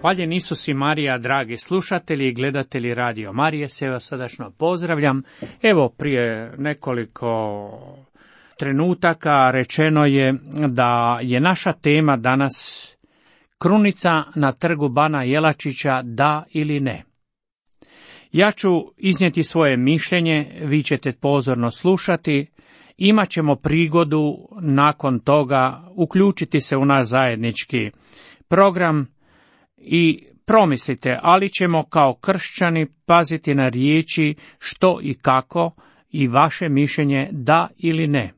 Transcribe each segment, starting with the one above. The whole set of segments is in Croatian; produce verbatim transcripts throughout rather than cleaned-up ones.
Hvaljen Isus i Marija, dragi slušatelji i gledatelji Radio Marije, sve vas srdačno pozdravljam. Evo, prije nekoliko trenutaka rečeno je da je naša tema danas krunica na trgu Bana Jelačića, da ili ne. Ja ću iznijeti svoje mišljenje, vi ćete pozorno slušati, imat ćemo prigodu nakon toga uključiti se u naš zajednički program i promislite, ali ćemo kao kršćani paziti na riječi što i kako i vaše mišljenje da ili ne.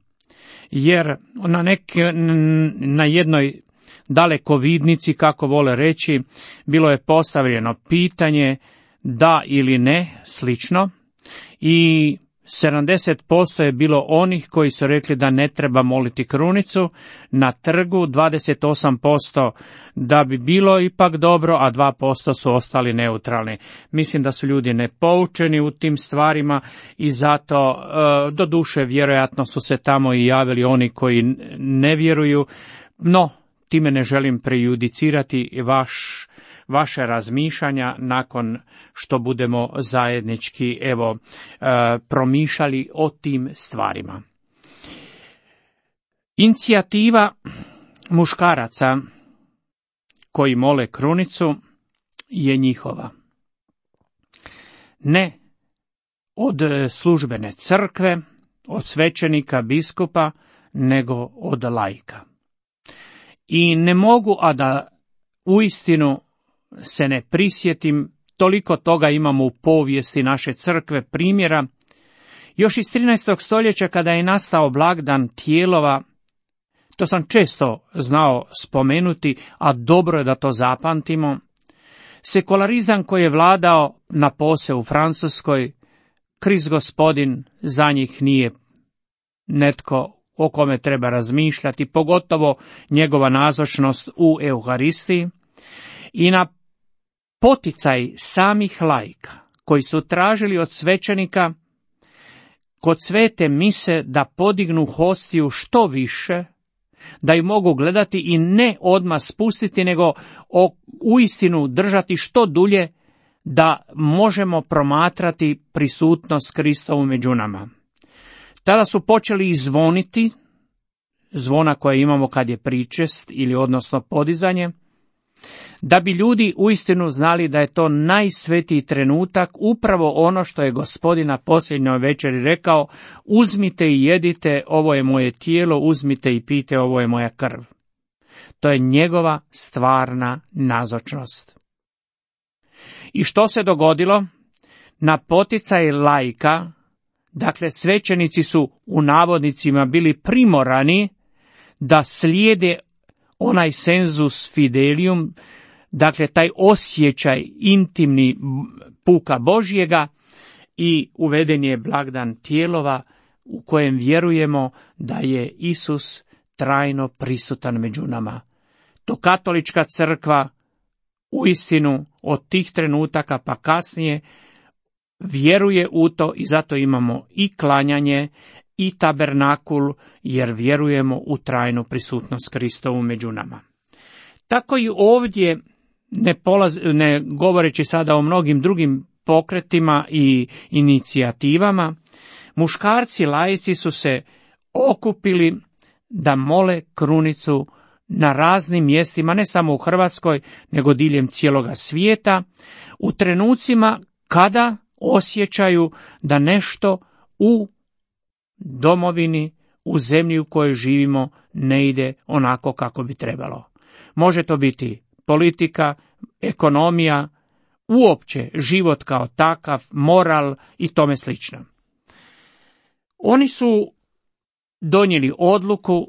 Jer na, nek, na jednoj dalekovidnici, kako vole reći, bilo je postavljeno pitanje da ili ne, slično, i sedamdeset posto je bilo onih koji su rekli da ne treba moliti krunicu na trgu, dvadeset osam posto da bi bilo ipak dobro, a dva posto su ostali neutralni. Mislim da su ljudi nepoučeni u tim stvarima i zato, e, do duše, vjerojatno su se tamo i javili oni koji ne vjeruju, no time ne želim prejudicirati vaš vaše razmišljanja nakon što budemo zajednički evo e, promišljali o tim stvarima. Inicijativa muškaraca koji mole krunicu je njihova. Ne od službene crkve, od svećenika, biskupa, nego od laika. I ne mogu, a da uistinu se ne prisjetim, toliko toga imamo u povijesti naše crkve primjera. Još iz trinaestog stoljeća, kada je nastao blagdan tijelova, to sam često znao spomenuti, a dobro je da to zapamtimo, sekularizam koji je vladao na pose u Francuskoj, Krist Gospodin za njih nije netko o kome treba razmišljati, pogotovo njegova nazočnost u Euharistiji. I na poticaj samih laika koji su tražili od svećenika kod svete mise da podignu hostiju što više, da ju mogu gledati i ne odmah spustiti, nego uistinu držati što dulje, da možemo promatrati prisutnost Kristovu među nama. Tada su počeli i zvoniti, zvona koje imamo kad je pričest ili odnosno podizanje, da bi ljudi uistinu znali da je to najsvetiji trenutak, upravo ono što je Gospodin na posljednjoj večeri rekao: uzmite i jedite, ovo je moje tijelo, uzmite i pijte, ovo je moja krv. To je njegova stvarna nazočnost. I što se dogodilo? Na poticaj laika, dakle svećenici su u navodnicima bili primorani da slijede onaj sensus fidelium, dakle taj osjećaj intimni puka Božjega, i uveden je blagdan tijelova u kojem vjerujemo da je Isus trajno prisutan među nama. To katolička crkva uistinu od tih trenutaka pa kasnije vjeruje u to i zato imamo i klanjanje i tabernakul, jer vjerujemo u trajnu prisutnost Kristovu među nama. Tako i ovdje, ne, polaz, ne govoreći sada o mnogim drugim pokretima i inicijativama, muškarci laici su se okupili da mole krunicu na raznim mjestima, ne samo u Hrvatskoj, nego diljem cijeloga svijeta, u trenucima kada osjećaju da nešto u domovini, u zemlji u kojoj živimo, ne ide onako kako bi trebalo. Može to biti politika, ekonomija, uopće život kao takav, moral i tome slično. Oni su donijeli odluku,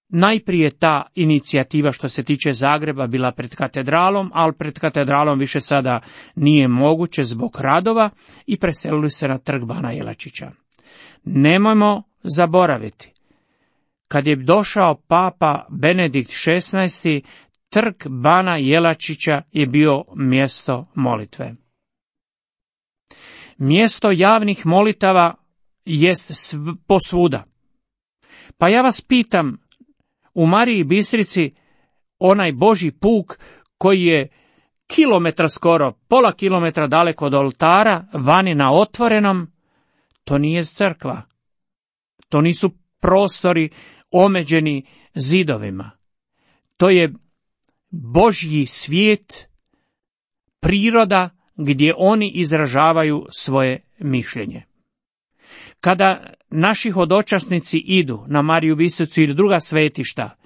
najprije ta inicijativa što se tiče Zagreba bila pred katedralom, ali pred katedralom više sada nije moguće zbog radova i preselili se na trg Bana Jelačića. Nemojmo zaboraviti, kad je došao papa Benedikt šesnaesti, trg Bana Jelačića je bio mjesto molitve. Mjesto javnih molitava jest sv- posvuda. Pa ja vas pitam, u Mariji Bistrici onaj Božji puk koji je kilometra skoro, pola kilometra daleko od oltara, vani na otvorenom, to nije crkva. To nisu prostori omeđeni zidovima. To je Božji svijet, priroda gdje oni izražavaju svoje mišljenje. Kada naši hodočasnici idu na Mariju Bistricu ili druga svetišta,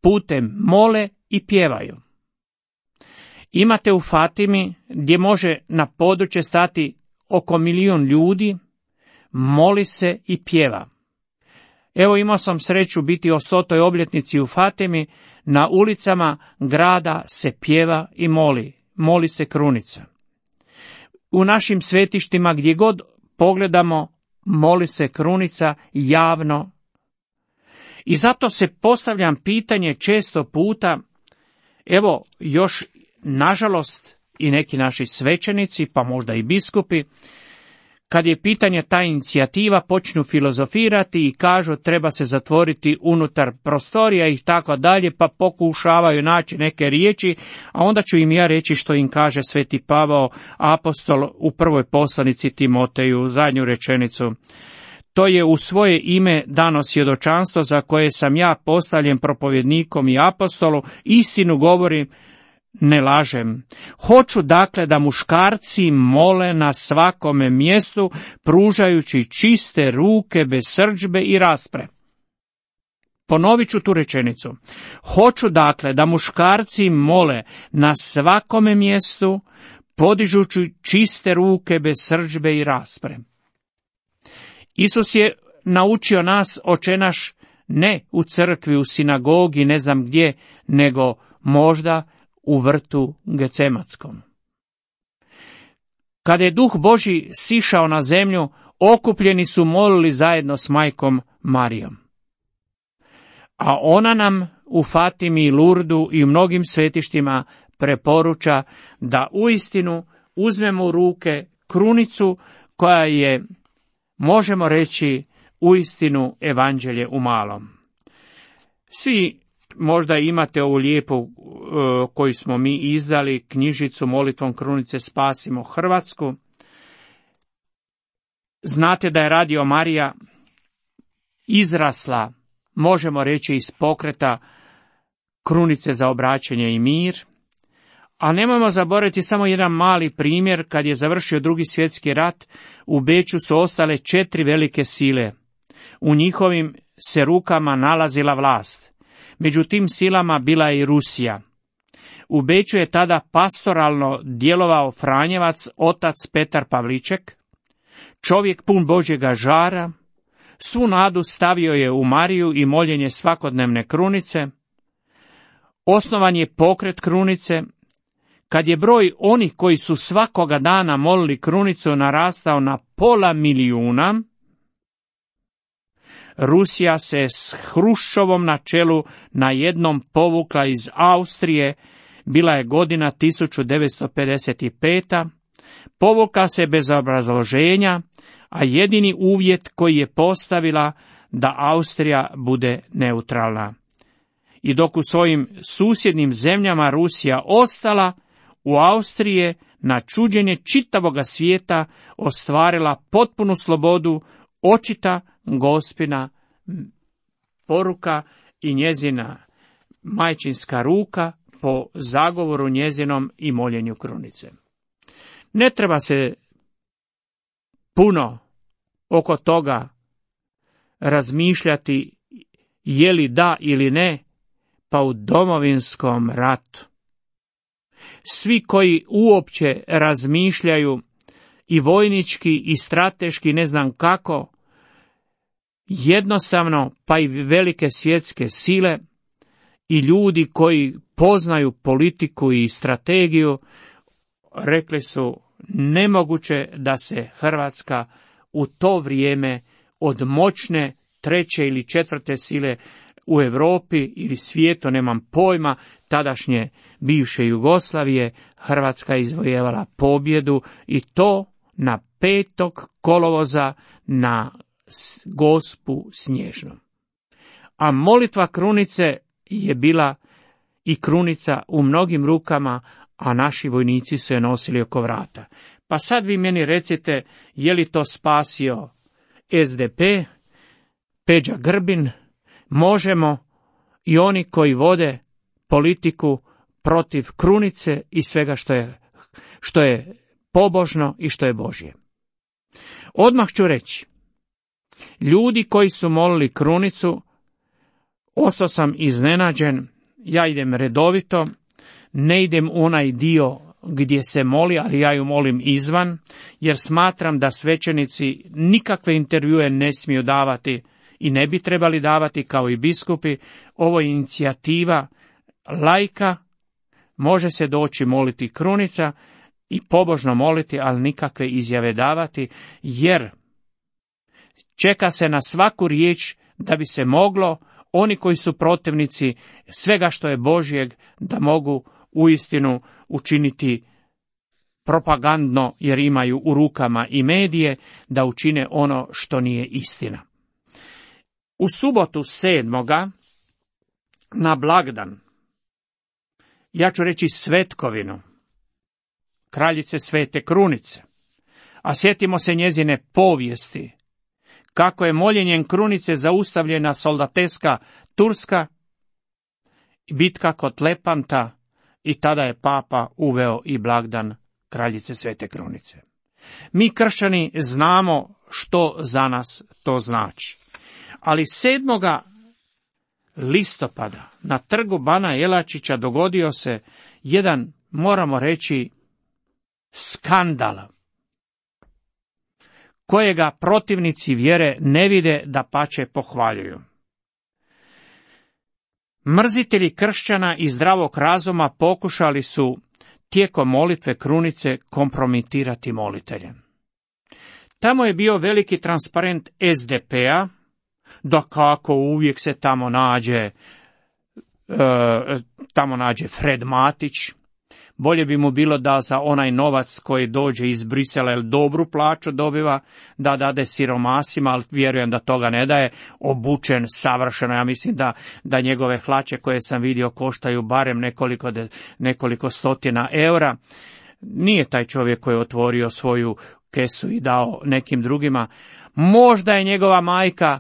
putem mole i pjevaju. Imate u Fatimi, gdje može na područje stati oko milijun ljudi, moli se i pjeva. Evo, imao sam sreću biti o stotoj obljetnici u Fatimi, na ulicama grada se pjeva i moli, moli se krunica. U našim svetištima gdje god pogledamo, moli se krunica javno. I zato se postavljam pitanje često puta, evo još nažalost i neki naši svećenici, pa možda i biskupi, kad je pitanje ta inicijativa, počnu filozofirati i kažu treba se zatvoriti unutar prostorija i tako dalje, pa pokušavaju naći neke riječi, a onda ću im ja reći što im kaže Sveti Pavao apostol u prvoj poslanici Timoteju, zadnju rečenicu. To je u svoje ime dano svjedočanstvo za koje sam ja postavljen propovjednikom i apostolu, istinu govorim, ne lažem. Hoću dakle da muškarci mole na svakome mjestu, pružajući čiste ruke bez srdžbe i raspre. Ponovit ću tu rečenicu. Hoću dakle da muškarci mole na svakome mjestu, podižući čiste ruke bez srdžbe i raspre. Isus je naučio nas očenaš ne u crkvi, u sinagogi, ne znam gdje, nego možda u vrtu Gecematskom. Kada je Duh Božji sišao na zemlju, okupljeni su molili zajedno s majkom Marijom. A ona nam u Fatimi, Lurdu i u mnogim svetištima preporuča da uistinu uzmemo u ruke krunicu koja je, možemo reći, uistinu evanđelje u malom. Svi možda imate ovu lijepu uh, koju smo mi izdali, knjižicu Molitvom krunice spasimo Hrvatsku. Znate da je Radio Marija izrasla, možemo reći, iz pokreta krunice za obraćanje i mir. A nemojmo zaboraviti samo jedan mali primjer, kad je završio Drugi svjetski rat, u Beču su ostale četiri velike sile. U njihovim se rukama nalazila vlast. Među tim silama bila je i Rusija. U Beču je tada pastoralno djelovao Franjevac, otac Petar Pavliček, čovjek pun Božjega žara, svu nadu stavio je u Mariju i moljenje svakodnevne krunice. Osnovan je pokret krunice. Kad je broj onih koji su svakoga dana molili krunicu narastao na pola milijuna, Rusija se s Hruščovom na čelu na jednom povukla iz Austrije, bila je godina tisuću devetsto pedeset peta, povukla se bez obrazloženja, a jedini uvjet koji je postavila da Austrija bude neutralna. I dok u svojim susjednim zemljama Rusija ostala, u Austrije na čuđenje čitavoga svijeta ostvarila potpunu slobodu, očita Gospina poruka i njezina majčinska ruka po zagovoru njezinom i moljenju krunice. Ne treba se puno oko toga razmišljati je li da ili ne, pa u Domovinskom ratu. Svi koji uopće razmišljaju i vojnički i strateški, ne znam kako, jednostavno, pa i velike svjetske sile i ljudi koji poznaju politiku i strategiju, rekli su nemoguće da se Hrvatska u to vrijeme od moćne treće ili četvrte sile u Europi ili svijetu, nemam pojma, tadašnje bivše Jugoslavije, Hrvatska izvojevala pobjedu i to na petog kolovoza na Gospu snježnom. A molitva krunice je bila i krunica u mnogim rukama, a naši vojnici su je nosili oko vrata. Pa sad vi meni recite, je li to spasio S D P, Peđa Grbin, Možemo i oni koji vode politiku protiv krunice i svega što je, što je pobožno i što je Božje. Odmah ću reći, ljudi koji su molili krunicu, ostao sam iznenađen, ja idem redovito, ne idem u onaj dio gdje se moli, ali ja ju molim izvan, jer smatram da svećenici nikakve intervjue ne smiju davati i ne bi trebali davati kao i biskupi. Ovo je inicijativa laika, može se doći moliti krunica i pobožno moliti, ali nikakve izjave davati, jer čeka se na svaku riječ da bi se moglo oni koji su protivnici svega što je Božjeg da mogu uistinu učiniti propagandno, jer imaju u rukama i medije, da učine ono što nije istina. U subotu sedmoga na blagdan, ja ću reći svetkovinu kraljice Svete Krunice, a sjetimo se njezine povijesti, kako je moljenjem krunice zaustavljena soldateska Turska, bitka kod Lepanta, i tada je papa uveo i blagdan kraljice Svete Krunice. Mi kršćani znamo što za nas to znači. Ali sedmoga listopada na trgu Bana Jelačića dogodio se jedan, moramo reći, skandal, kojega protivnici vjere ne vide, dapače pohvaljuju. Mrzitelji kršćana i zdravog razuma pokušali su tijekom molitve krunice kompromitirati molitelje. Tamo je bio veliki transparent S D P-a, da kako uvijek se tamo nađe, e, tamo nađe Fred Matić. Bolje bi mu bilo da za onaj novac koji dođe iz Brisela, jer dobru plaću dobiva, da dade siromasima, ali vjerujem da toga ne daje, obučen savršeno. Ja mislim da, da njegove hlače koje sam vidio koštaju barem nekoliko, de, nekoliko stotina eura. Nije taj čovjek koji je otvorio svoju kesu i dao nekim drugima. Možda je njegova majka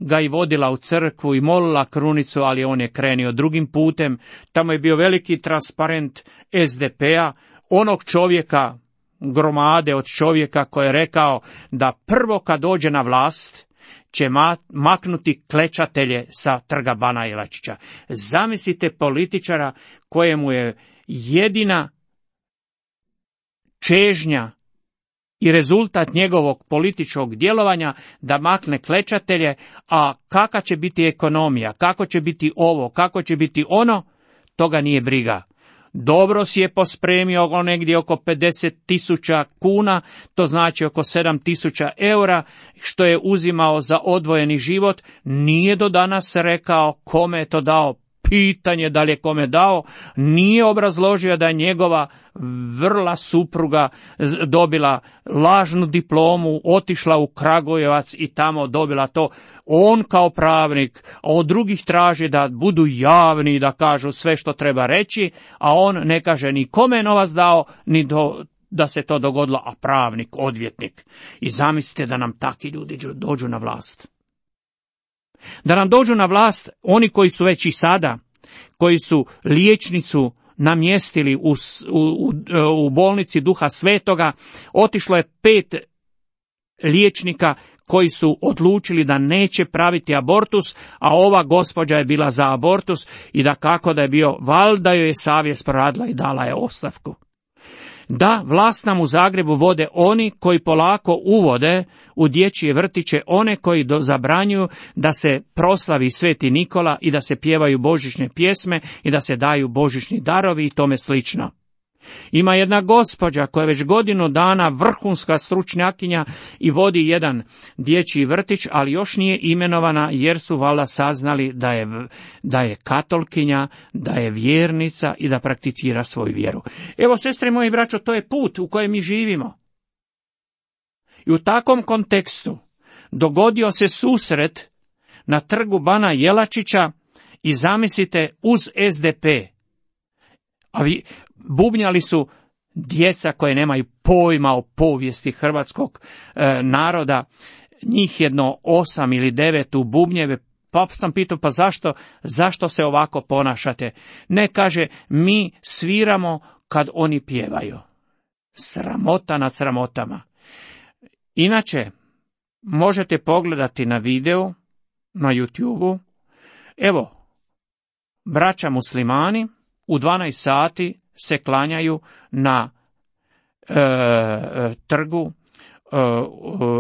ga i vodila u crkvu i molila krunicu, ali on je krenio drugim putem. Tamo je bio veliki transparent S D P-a, onog čovjeka, gromade od čovjeka koji je rekao da prvo kad dođe na vlast će maknuti klečatelje sa trga Bana Jelačića. Zamislite političara kojemu je jedina čežnja i rezultat njegovog političkog djelovanja da makne klečatelje, a kakva će biti ekonomija, kako će biti ovo, kako će biti ono, toga nije briga. Dobro si je pospremio negdje oko pedeset tisuća kuna, to znači oko sedam tisuća eura, što je uzimao za odvojeni život, nije do danas rekao kome je to dao. Pitanje da li je kome dao, nije obrazložio da je njegova vrla supruga dobila lažnu diplomu, otišla u Kragujevac i tamo dobila to. On kao pravnik, a od drugih traži da budu javni i da kažu sve što treba reći, a on ne kaže ni kome je novac dao, ni do, da se to dogodilo, a pravnik, odvjetnik. I zamislite da nam takvi ljudi dođu na vlast. Da nam dođu na vlast oni koji su već i sada, koji su liječnicu namjestili u, u, u bolnici Duha Svetoga. Otišlo je pet liječnika koji su odlučili da neće praviti abortus, a ova gospođa je bila za abortus i da kako da je bio, valjda joj je savjest proradila i dala je ostavku. Da, vlast nam u Zagrebu vode oni koji polako uvode u dječje vrtiće, one koji do, zabranjuju da se proslavi Sveti Nikola i da se pjevaju božićne pjesme i da se daju božićni darovi i tome slično. Ima jedna gospođa koja je već godinu dana vrhunska stručnjakinja i vodi jedan dječji vrtić, ali još nije imenovana jer su valjda saznali da je, da je katolkinja, da je vjernica i da prakticira svoju vjeru. Evo, sestre moji braćo, to je put u kojem mi živimo. I u takvom kontekstu dogodio se susret na trgu Bana Jelačića i zamislite uz S D P. A vi, bubnjali su djeca koje nemaju pojma o povijesti hrvatskog e, naroda, njih jedno osam ili devet u bubnjeve. Pa sam pitao, pa zašto, zašto se ovako ponašate? Ne, kaže, mi sviramo kad oni pjevaju. Sramota nad sramotama. Inače, možete pogledati na video, na YouTubeu. Evo, braća muslimani u dvanaest sati se klanjaju na e, trgu e,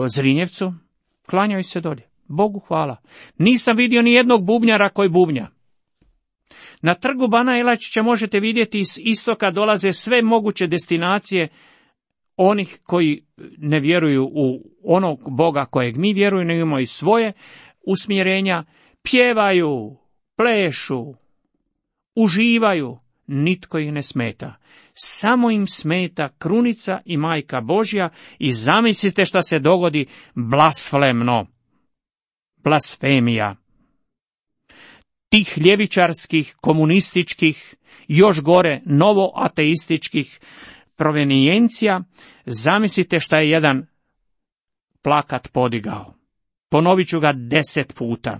Zrinjevcu. Klanjaju se dolje. Bogu hvala. Nisam vidio ni jednog bubnjara koji bubnja. Na trgu Bana Jelačića možete vidjeti iz istoka dolaze sve moguće destinacije onih koji ne vjeruju u onog Boga kojeg mi vjerujemo, nego imaju svoje usmjerenja, pjevaju, plešu, uživaju, nitko ih ne smeta. Samo im smeta krunica i majka Božja i zamislite šta se dogodi, blasfemno, blasfemija. Tih ljevičarskih, komunističkih, još gore novoateističkih provenijencija, zamislite šta je jedan plakat podigao. Ponovit ću ga deset puta.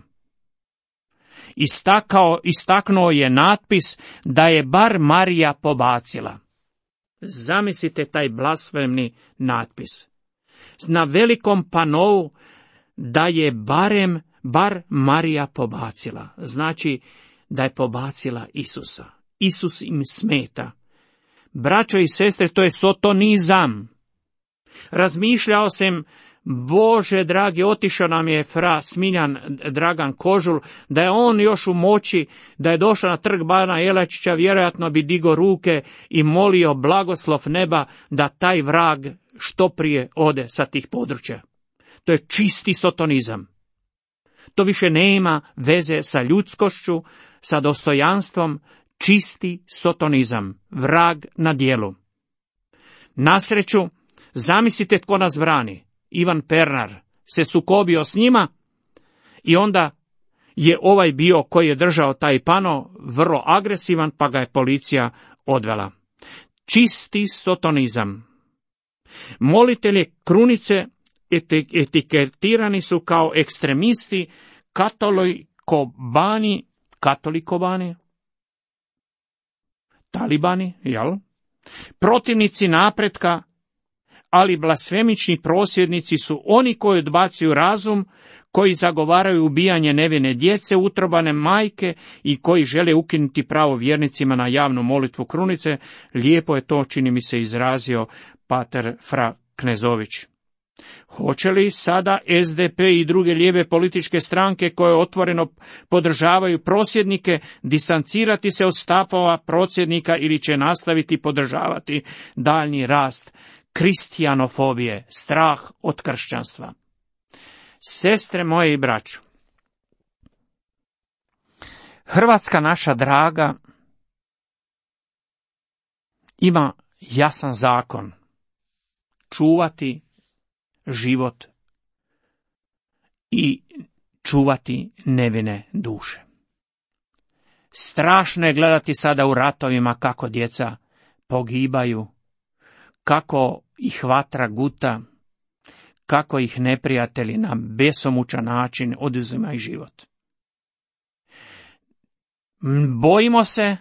Istakao, istaknuo je natpis da je bar Marija pobacila. Zamislite taj blasfemni natpis. Na velikom panou da je barem, bar Marija pobacila. Znači da je pobacila Isusa. Isus im smeta. Braćo i sestre, to je sotonizam. Razmišljao sam, Bože dragi, otišao nam je fra Smiljan Dragan Kožul, da je on još u moći, da je došao na trg Bana Jelačića, vjerojatno bi digo ruke i molio blagoslov neba da taj vrag što prije ode sa tih područja. To je čisti sotonizam. To više nema veze sa ljudskošću, sa dostojanstvom, čisti sotonizam, vrag na djelu. Na sreću, zamislite tko nas brani. Ivan Pernar se sukobio s njima i onda je ovaj bio koji je držao taj pano vrlo agresivan, pa ga je policija odvela. Čisti sotonizam. Molitelji krunice etiketirani su kao ekstremisti, katolikobani, katolikobani, talibani, jel? Protivnici napretka, ali blasfemični prosvjednici su oni koji odbacuju razum, koji zagovaraju ubijanje nevine djece, utrobane majke i koji žele ukinuti pravo vjernicima na javnu molitvu krunice. Lijepo je to, čini mi se, izrazio pater Fra Knezović. Hoće li sada S D P i druge lijeve političke stranke koje otvoreno podržavaju prosvjednike distancirati se od stavova prosvjednika ili će nastaviti podržavati daljnji rast kristijanofobije, strah od kršćanstva? Sestre moje i braćo, Hrvatska naša draga ima jasan zakon: čuvati život i čuvati nevine duše. Strašno je gledati sada u ratovima kako djeca pogibaju, kako ih vatra guta, kako ih neprijatelji na besomučan način oduzimaju život. Bojimo se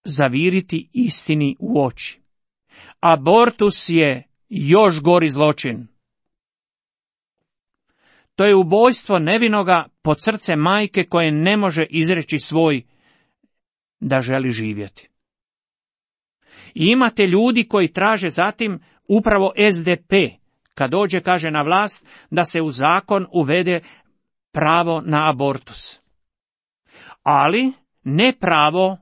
zaviriti istini u oči. Abortus je još gori zločin. To je ubojstvo nevinoga pod srce majke koje ne može izreći svoj da želi živjeti. I imate ljudi koji traže zatim upravo S D P, kad dođe, kaže, na vlast, da se u zakon uvede pravo na abortus. Ali ne pravo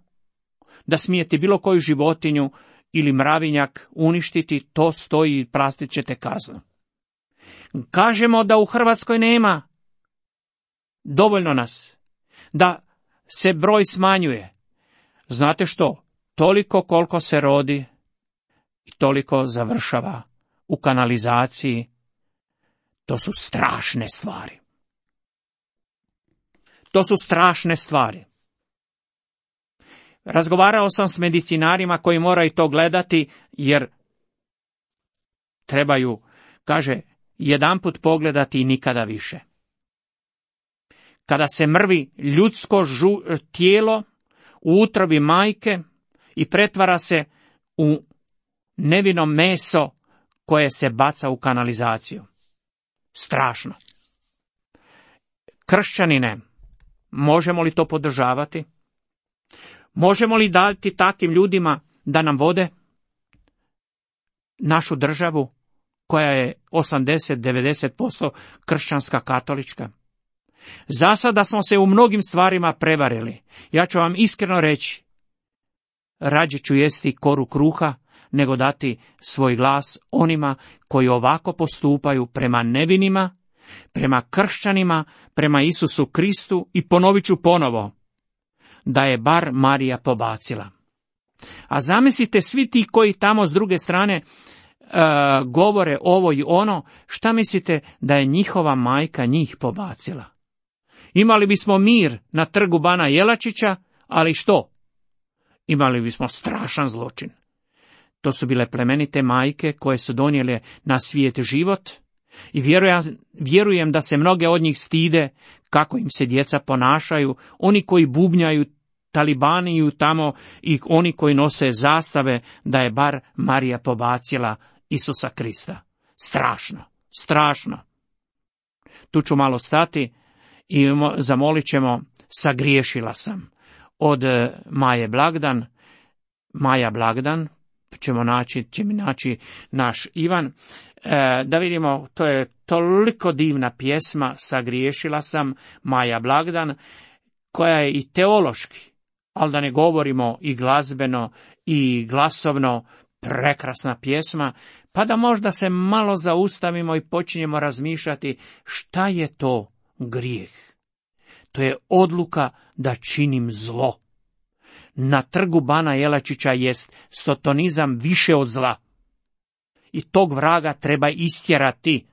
da smijete bilo koju životinju ili mravinjak uništiti, to stoji i platit ćete kaznu. Kažemo da u Hrvatskoj nema dovoljno nas, da se broj smanjuje. Znate što? Toliko koliko se rodi i toliko završava u kanalizaciji. To su strašne stvari. To su strašne stvari. Razgovarao sam s medicinarima koji moraju to gledati, jer trebaju, kaže, jedanput pogledati i nikada više. Kada se mrvi ljudsko žu, tijelo u utrobi majke i pretvara se u nevino meso koje se baca u kanalizaciju. Strašno. Kršćanine, možemo li to podržavati? Možemo li dati takvim ljudima da nam vode našu državu koja je osamdeset do devedeset posto kršćanska, katolička? Za sada smo se u mnogim stvarima prevarili. Ja ću vam iskreno reći, rađe ću jesti koru kruha nego dati svoj glas onima koji ovako postupaju prema nevinima, prema kršćanima, prema Isusu Kristu, i ponovit ću ponovo, da je bar Marija pobacila. A zamislite svi ti koji tamo s druge strane uh, govore ovo i ono, šta mislite da je njihova majka njih pobacila? Imali bismo mir na trgu Bana Jelačića, ali što? Imali bismo strašan zločin. To su bile plemenite majke koje su donijele na svijet život i vjerujem, vjerujem da se mnoge od njih stide kako im se djeca ponašaju, oni koji bubnjaju, talibaniju tamo i oni koji nose zastave, da je bar Marija pobacila Isusa Krista. Strašno, strašno. Tu ću malo stati i zamolit ćemo sagriješila sam. Od Maje Blagdan, Maja Blagdan, ćemo naći, će mi naći naš Ivan, e, da vidimo, to je toliko divna pjesma, sagriješila sam, Maja Blagdan, koja je i teološki, ali da ne govorimo i glazbeno i glasovno, prekrasna pjesma, pa da možda se malo zaustavimo i počinjemo razmišljati šta je to grijeh. To je odluka da činim zlo. Na trgu Bana Jelačića jest sotonizam više od zla. I tog vraga treba istjerati.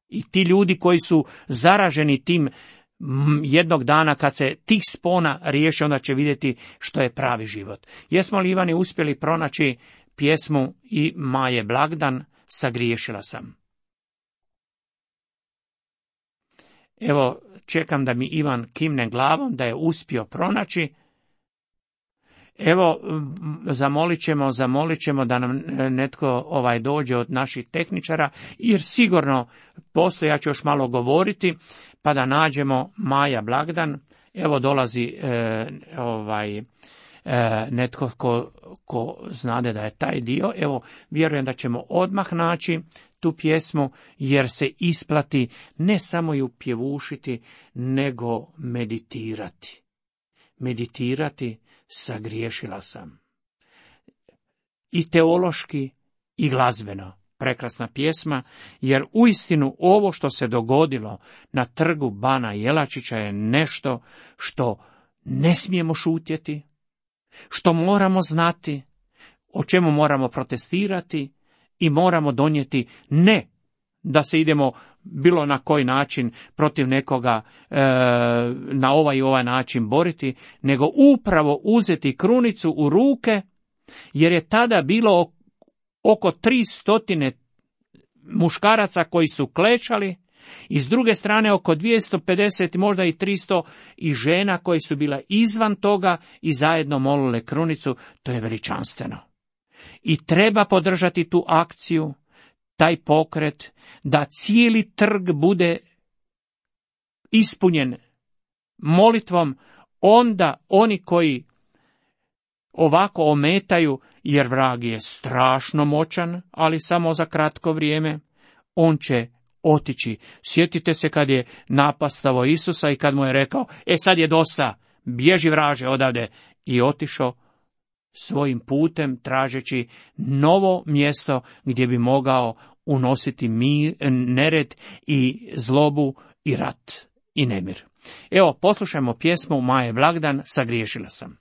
I ti ljudi koji su zaraženi tim, jednog dana kad se tih spona riješi, onda će vidjeti što je pravi život. Jesmo li, Ivani, uspjeli pronaći pjesmu i Maje Blagdan, sagriješila sam? Evo, čekam da mi Ivan kimne glavom da je uspio pronaći. Evo, zamolit ćemo, zamolit ćemo da nam netko ovaj dođe od naših tehničara, jer sigurno postoji, ja ću još malo govoriti, pa da nađemo Maja Blagdan. Evo dolazi e, ovaj e, netko ko, ko znade da je taj dio. Evo, vjerujem da ćemo odmah naći tu pjesmu, jer se isplati ne samo ju pjevušiti, nego meditirati. Meditirati, sagriješila sam. I teološki i glazbeno. Prekrasna pjesma, jer uistinu ovo što se dogodilo na trgu Bana Jelačića je nešto što ne smijemo šutjeti, što moramo znati, o čemu moramo protestirati i moramo donijeti, ne da se idemo bilo na koji način protiv nekoga e, na ovaj i ovaj način boriti, nego upravo uzeti krunicu u ruke, jer je tada bilo oko tri stotine muškaraca koji su klečali i s druge strane oko dvjesto pedeset, možda i tristo i žena koji su bila izvan toga i zajedno molile krunicu. To je veličanstveno. I treba podržati tu akciju, taj pokret, da cijeli trg bude ispunjen molitvom, onda oni koji ovako ometaju, jer vrag je strašno moćan, ali samo za kratko vrijeme, on će otići. Sjetite se kad je napastavo Isusa i kad mu je rekao, e sad je dosta, bježi vraže odavde, i otišao svojim putem tražeći novo mjesto gdje bi mogao unositi mir, nered i zlobu i rat i nemir. Evo, poslušajmo pjesmu Maje Blagdan, sagriješila sam.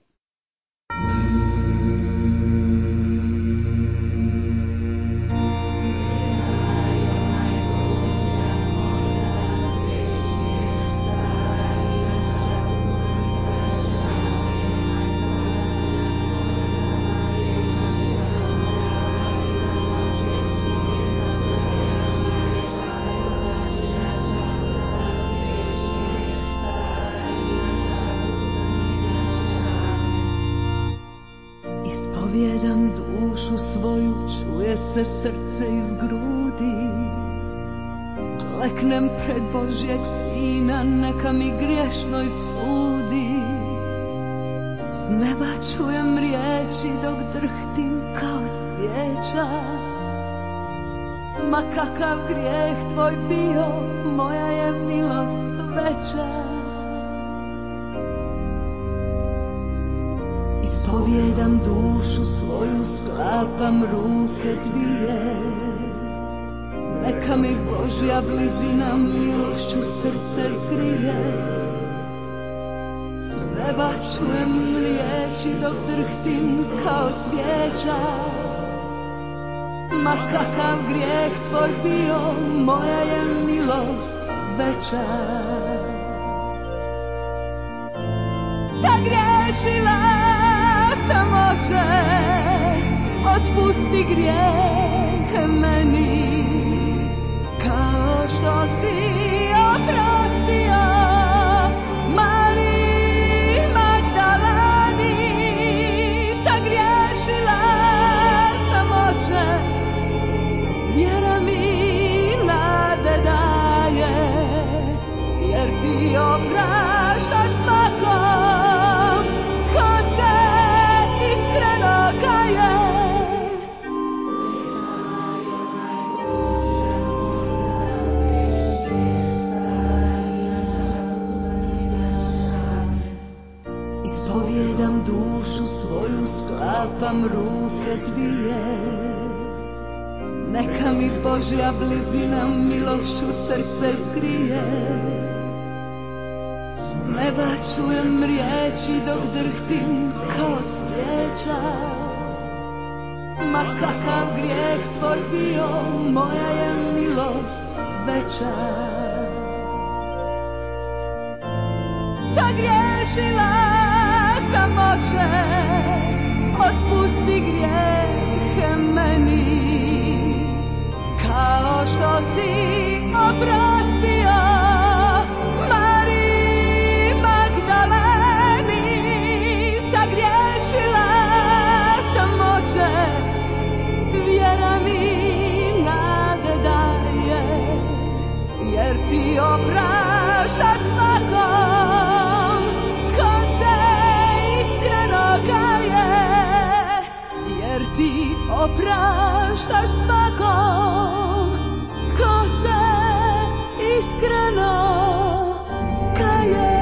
Ispovjedam dušu svoju, čuje se srce iz grudi. Kleknem pred Božjeg Sina, neka mi griješnoj sudi. S neba čujem riječi dok drhtim kao svijeća. Ma kakav grijeh tvoj bio, moja je milost veća. Ispovjedam dušu svoju, sklapam ruke dvije. Neka mi Božja blizina milošću srce zgrije. S neba čujem riječi dok drhtim kao svijeća. Ma kakav grijeh tvoj bio, moja je milost veća. Sagriješila sam, Oče, otpusti grijeh meni, kao što si oprostio Mariji Magdaleni. Sagriješila sam, Oče, vjera mi nade daje, jer ti opraštaš svakom tko se iskreno kaje. Ispovjedam dušu svoju, sklapam ruke dvije. Neka mi Božja blizina milošću srce zgrije. S neba čujem riječi dok drhtim kao svijeća. Ma kakav grijeh tvoj bio, moja je milost veća. Sagriješila sam, Oče, otpusti grijehe meni, kao što si oprostio Mariji Magdaleni. Sagriješila sam, Oče, vjera mi nade daje, jer ti opraštaš svakom tko se iskreno kaje. Jer ti opraštaš svakom tko se iskreno kaje.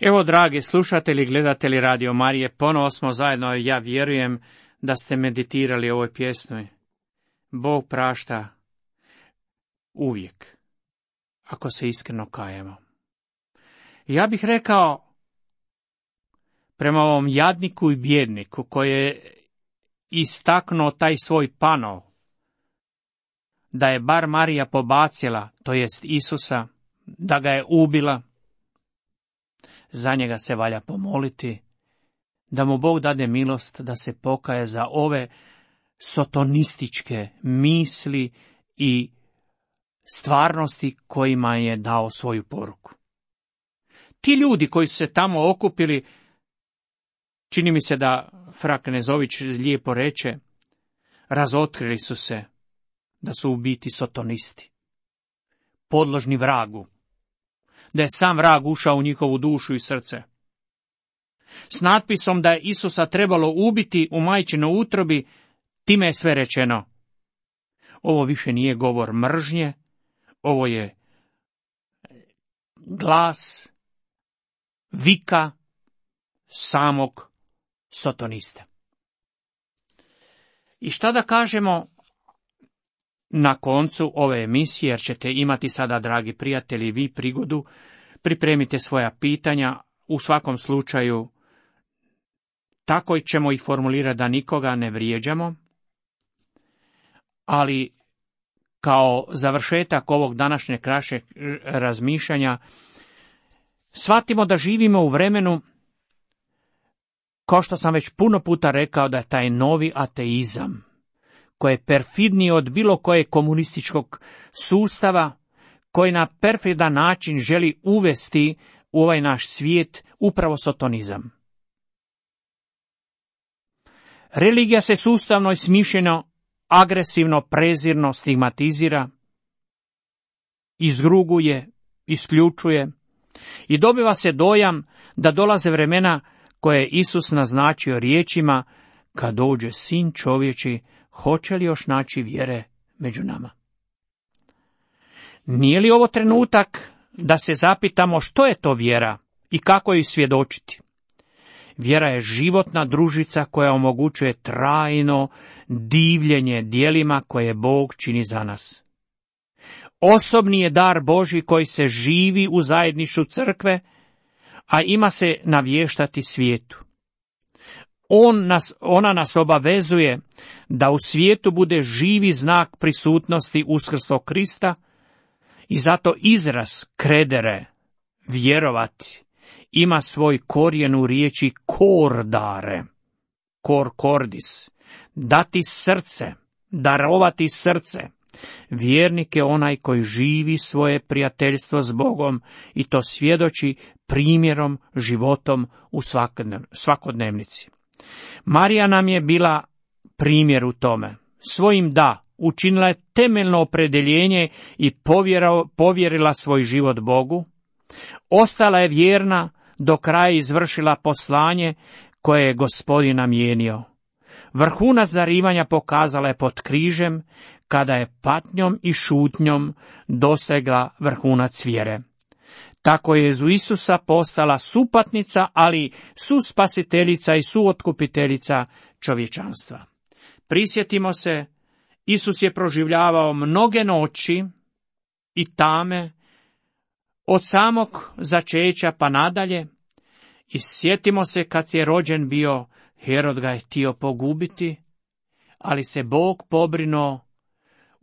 Evo, dragi slušatelji, gledatelji Radio Marije, ponovo smo zajedno. Ja vjerujem da ste meditirali ovoj pjesmi. Bog prašta uvijek, ako se iskreno kajemo. Ja bih rekao, prema ovom jadniku i bjedniku koji je istaknuo taj svoj panov, da je bar Marija pobacila, to jest Isusa, da ga je ubila, za njega se valja pomoliti, da mu Bog dade milost da se pokaje za ove sotonističke misli i stvarnosti kojima je dao svoju poruku. Ti ljudi koji su se tamo okupili, čini mi se da fra Knezović lijepo reče, razotkrili su se da su u biti sotonisti, podložni vragu, da je sam vrag ušao u njihovu dušu i srce. S natpisom da je Isusa trebalo ubiti u majčinoj utrobi, time je sve rečeno. Ovo više nije govor mržnje, ovo je glas, vika samog sotonista. I šta da kažemo na koncu ove emisije, jer ćete imati sada, dragi prijatelji, vi prigodu, pripremite svoja pitanja, u svakom slučaju tako ćemo ih formulirati da nikoga ne vrijeđamo, ali kao završetak ovog današnjeg krašeg razmišljanja, shvatimo da živimo u vremenu, kao što sam već puno puta rekao, da je taj novi ateizam, koji je perfidniji od bilo kojeg komunističkog sustava, koji na perfidan način želi uvesti u ovaj naš svijet upravo sotonizam. Religija se sustavno i smišljeno, agresivno, prezirno stigmatizira, izruguje, isključuje i dobiva se dojam da dolaze vremena koje je Isus naznačio riječima: kad dođe sin čovječi, hoće li još naći vjere među nama? Nije li ovo trenutak da se zapitamo što je to vjera i kako ju svjedočiti? Vjera je životna družica koja omogućuje trajno divljenje djelima koje Bog čini za nas. Osobni je dar Božji koji se živi u zajedništvu crkve, a ima se navještati svijetu. On nas, ona nas obavezuje da u svijetu bude živi znak prisutnosti uskrslog Krista i zato izraz kredere, vjerovati, ima svoj korijen u riječi kordare, kor cordis, dati srce, darovati srce. Vjernik je onaj koji živi svoje prijateljstvo s Bogom i to svjedoči primjerom, životom u svakodnevnici. Marija nam je bila primjer u tome. Svojim da učinila je temeljno opredjeljenje i povjerila svoj život Bogu. Ostala je vjerna, do kraja izvršila poslanje koje je Gospodin namijenio. Vrhunac darivanja pokazala je pod križem, kada je patnjom i šutnjom dosegla vrhunac vjere. Tako je u Isusa postala supatnica, ali suspasiteljica i suotkupiteljica čovječanstva. Prisjetimo se, Isus je proživljavao mnoge noći i tame, od samog začeća pa nadalje, i sjetimo se kad je rođen bio, Herod ga je htio pogubiti, ali se Bog pobrinuo,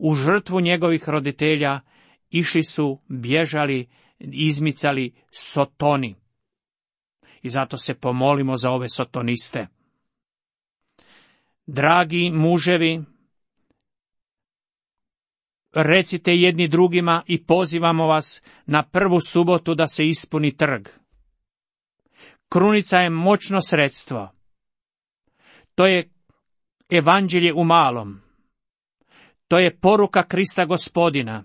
u žrtvu njegovih roditelja išli su, bježali, izmicali sotoni. I zato se pomolimo za ove sotoniste. Dragi muževi, recite jedni drugima i pozivamo vas na prvu subotu da se ispuni trg. Krunica je moćno sredstvo. To je evanđelje u malom. To je poruka Krista Gospodina.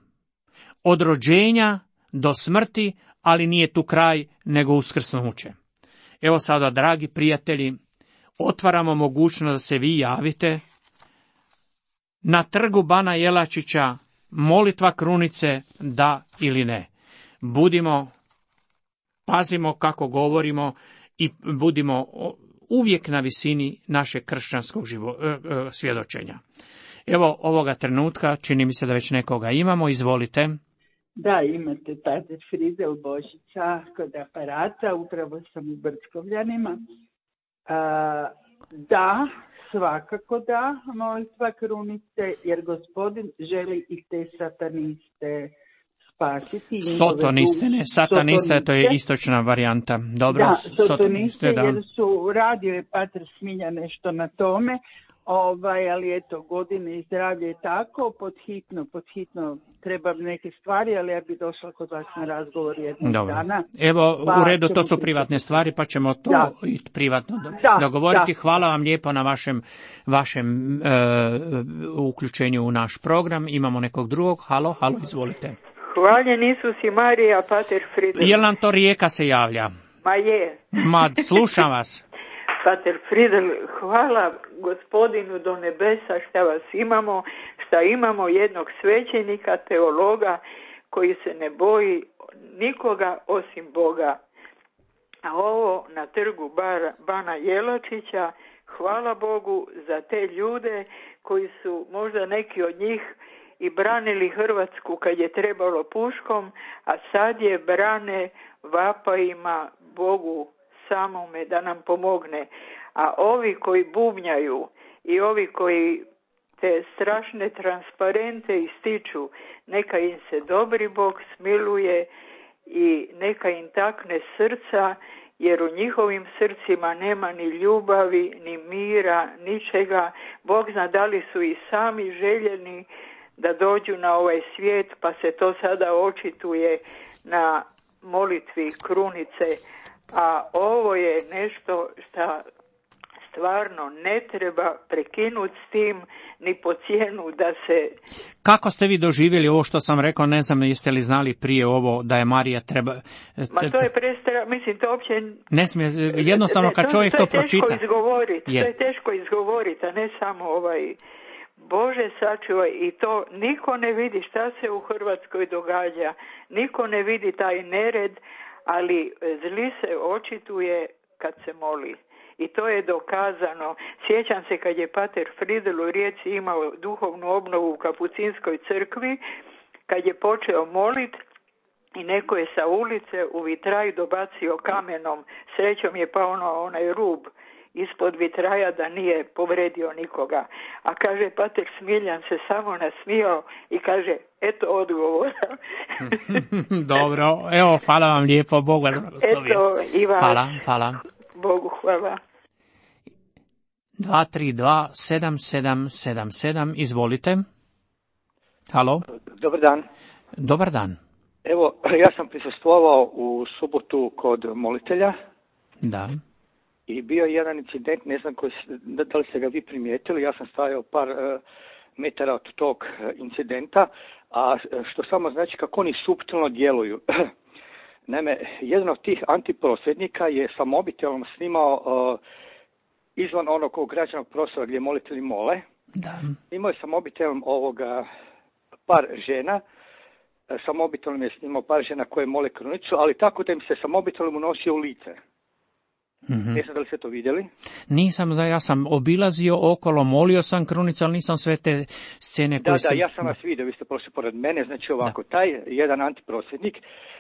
Od rođenja do smrti, ali nije tu kraj, nego uskrsnuće. Evo sada, dragi prijatelji, otvaramo mogućnost da se vi javite. Na trgu Bana Jelačića molitva krunice, da ili ne. Budimo, pazimo kako govorimo i budimo uvijek na visini našeg kršćanskog živo, e, e, svjedočenja. Evo ovoga trenutka, čini mi se da već nekoga imamo, izvolite. Da, imate Pater Fridel Božića kod aparata, upravo sam u Brčkovljanima. A, da, svakako da, molitva krunice, jer Gospodin želi i te sataniste spasiti. Sotoniste, ne, sataniste, to je istočna varijanta. Dobro, da, sotoniste, sotoniste, da. jer su, radio je Pater Smilja nešto na tome, ovaj, ali eto, godine i zdravlje je tako, pod hitno, pod hitno treba neke stvari, ali ja bi došla kod vas na razgovor jednog Dobro. dana. Evo, pa u redu, to su biti... privatne stvari, pa ćemo to da. i privatno do, da, dogovoriti. Da. Hvala vam lijepo na vašem, vašem e, uključenju u naš program. Imamo nekog drugog. Halo, halo, izvolite. Hvaljen Isus i Marija, Pater Fridel. Jel nam to Rijeka se javlja? Ma je. Ma, slušam vas. Pater Fridel, hvala Gospodinu do nebesa šta vas imamo, šta imamo jednog svećenika, teologa, koji se ne boji nikoga osim Boga. A ovo na trgu Bar, Bana Jelačića, hvala Bogu za te ljude koji su, možda neki od njih, i branili Hrvatsku kad je trebalo puškom, a sad je brane vapajima Bogu samome da nam pomogne. A ovi koji bubnjaju i ovi koji te strašne transparente ističu, neka im se dobri Bog smiluje i neka im takne srca, jer u njihovim srcima nema ni ljubavi, ni mira, ničega. Bog zna da li su i sami željeni da dođu na ovaj svijet, pa se to sada očituje na molitvi krunice, a ovo je nešto što stvarno ne treba prekinuti s tim ni po cijenu da se... Kako ste vi doživjeli ovo što sam rekao, ne znam jeste li znali prije ovo da je Marija treba... Ma to je prestra, mislim to uopće... Ne smije, jednostavno kad čovjek to, to pročita... To je teško izgovoriti, je. to je teško izgovoriti, a ne samo ovaj... Bože sačuvaj, i to niko ne vidi šta se u Hrvatskoj događa, niko ne vidi taj nered, ali zli se očituje kad se moli. I to je dokazano. Sjećam se kad je pater Fridel u Rijeci imao duhovnu obnovu u Kapucinskoj crkvi, kad je počeo molit i neko je sa ulice u vitraj dobacio kamenom. Srećom je pao ono, onaj rub ispod vitraja da nije povredio nikoga. A kaže, pater Smiljan se samo nasmijao i kaže, eto odgovora. Dobro, evo, hvala vam lijepo, Bog vas blagoslovi. Eto, i vas. Hvala, hvala. Bogu hvala. dva tri dva sedam sedam sedam sedam, izvolite. Halo. Dobar dan. Dobar dan. Evo, ja sam prisustvovao u subotu kod molitelja. Da. I bio je jedan incident, ne znam koji, da li ste ga vi primijetili, ja sam stajao par uh, metara od tog uh, incidenta, a što samo znači kako oni suptilno djeluju. Naime, jedan od tih antiprosvjednika je sa mobitelom snimao uh, izvan onog ograđenog prostora gdje molitelji mole. Da. Imao je sa mobitelom ovoga par žena, sa mobitelom je snimao par žena koje mole krunicu, ali tako da im se sa mobitelom unosio u lice. Mm-hmm. Ne znam da li ste to vidjeli? Nisam, da ja sam obilazio okolo, molio sam krunicu, ali nisam sve te scene koje Da, ste... da, ja sam vas vidio, vi ste prošli pored mene, znači ovako, da. Taj jedan antiprosvjednik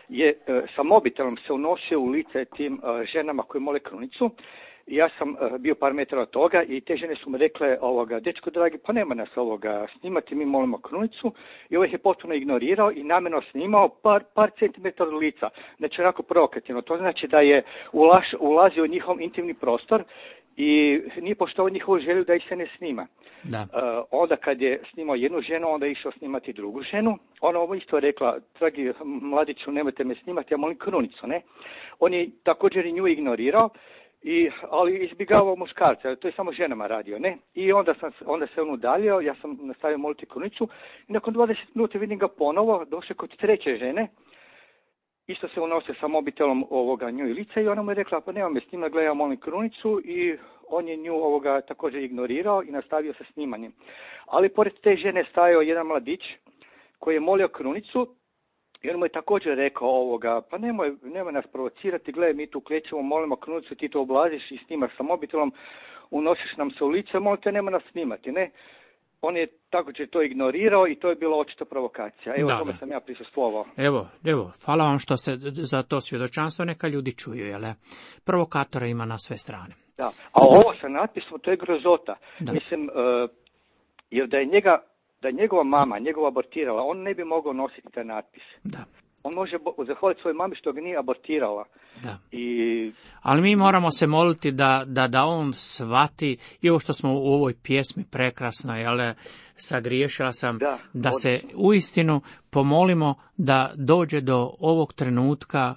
je uh, sa mobitelom se unosio u lice tim uh, ženama koje mole krunicu. Ja sam uh, bio par metara od toga i te žene su mi rekle, ovoga, dečko dragi, pa nema nas ovoga snimati, mi molimo krunicu, i ovaj je potpuno ignorirao i namjerno snimao par, par centimetara od lica, znači onako provokativno, to znači da je ulaš, ulazio u njihov intimni prostor i nije poštovao njihovu želju da ih se ne snima. Da. Uh, onda kad je snimao jednu ženu, onda je išao snimati drugu ženu, ona ovo isto rekla, dragi mladiću, nemojte me snimati, ja molim krunicu, ne? On je također i nju ignorirao, I, ali izbjegavao muškarca, to je samo ženama radio, ne? I onda, sam, onda se on udaljio, ja sam nastavio moliti krunicu i nakon dvadeset minuta vidim ga ponovo, došao kod treće žene, isto se unosio sa mobitelom ovoga nju i lice i ona mu je rekla, pa nema me snima, gledaj, ja molim krunicu, i on je nju ovoga također ignorirao i nastavio sa snimanjem. Ali pored te žene stajao jedan mladić koji je molio krunicu. I on mu je također rekao ovoga, pa nemoj, nemoj nas provocirati, gledaj, mi tu klećemo, molimo krunicu, ti to oblaziš i snimaš sa mobitelom, unosiš nam se u lice, molite, nemoj nas snimati, ne? On je također to ignorirao i to je bila očita provokacija. Evo, da, tome da. sam ja prisustvovao. Evo, evo, hvala vam što ste za to svjedočanstvo, neka ljudi čuju, jel? Provokatora ima na sve strane. Da, a ovo sa natpisom, to je grozota. Da. Mislim, uh, jer da je njega... da je njegova mama, njegova abortirala, on ne bi mogao nositi taj natpis. Da. On može zahvaliti svojoj mami što ga nije abortirala. Da. I... Ali mi moramo se moliti da, da, da on shvati, i ovo što smo u ovoj pjesmi prekrasno, jel, sagriješila sam, da, da se uistinu pomolimo da dođe do ovog trenutka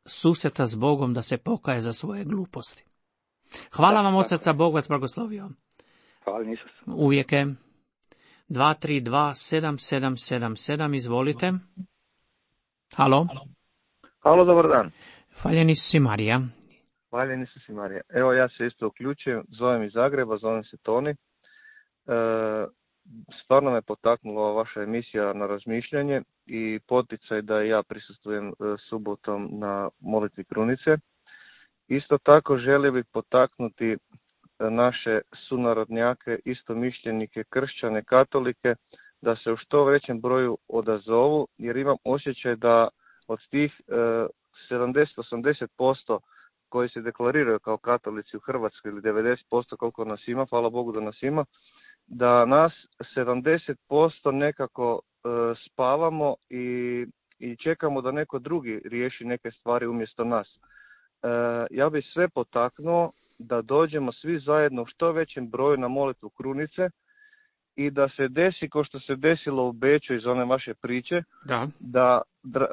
susreta s Bogom, da se pokaje za svoje gluposti. Hvala da, vam od srca, Bog vas blagoslovio. Hvala, Isus. Uvijek je. dva tri dva sedam sedam sedam sedam, izvolite. Halo. Halo, dobar dan. Hvaljeni su si, Marija. Hvaljeni su si, Marija. Evo, ja se isto uključujem, zovem iz Zagreba, zovem se Toni. E, stvarno me potaknula vaša emisija na razmišljanje i poticaj da ja prisustvujem subotom na molitvi krunice. Isto tako želio bih potaknuti naše sunarodnjake, istomišljenike, kršćane, katolike, da se u što većem broju odazovu, jer imam osjećaj da od tih e, sedamdeset do osamdeset posto koji se deklariraju kao katolici u Hrvatskoj, ili devedeset posto koliko nas ima, hvala Bogu da nas ima, da nas sedamdeset posto nekako e, spavamo i, i čekamo da neko drugi riješi neke stvari umjesto nas. E, ja bih sve potaknuo da dođemo svi zajedno u što većem broju na molitvu krunice i da se desi kao što se desilo u Beču iz one vaše priče, da, da,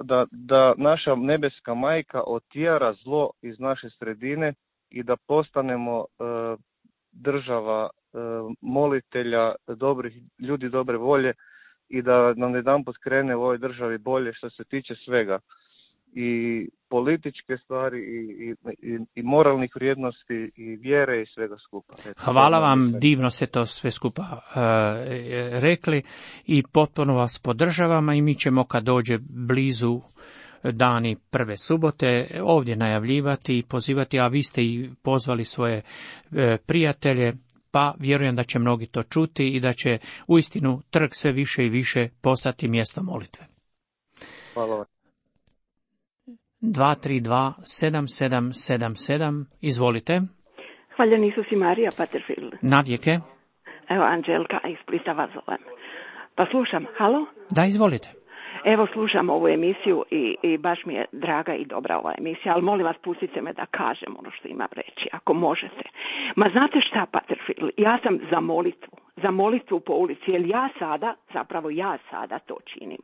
da, da naša nebeska majka otjera zlo iz naše sredine i da postanemo e, država e, molitelja, dobrih ljudi dobre volje i da nam jedanput krene u ovoj državi bolje što se tiče svega. I političke stvari i, i, i moralnih vrijednosti i vjere i svega skupa. Eto, hvala vam, divno ste to sve skupa uh, rekli i potpuno vas podržavamo i mi ćemo kad dođe blizu dani prve subote ovdje najavljivati i pozivati, a vi ste i pozvali svoje uh, prijatelje, pa vjerujem da će mnogi to čuti i da će uistinu trg sve više i više postati mjesto molitve. Hvala vam. dva tri dva sedam sedam sedam sedam, izvolite. Hvaljen Isus i Marija, Paterfield. Navijeke. Evo, Anđelka iz Splita vas zovem. Pa slušam, halo? Da, izvolite. Evo, slušam ovu emisiju i, i baš mi je draga i dobra ova emisija, ali molim vas, pustite me da kažem ono što imam reći, ako možete. Ma znate šta, Paterfield, ja sam za molitvu. Za molitvu po ulici, jer ja sada, zapravo ja sada to činim.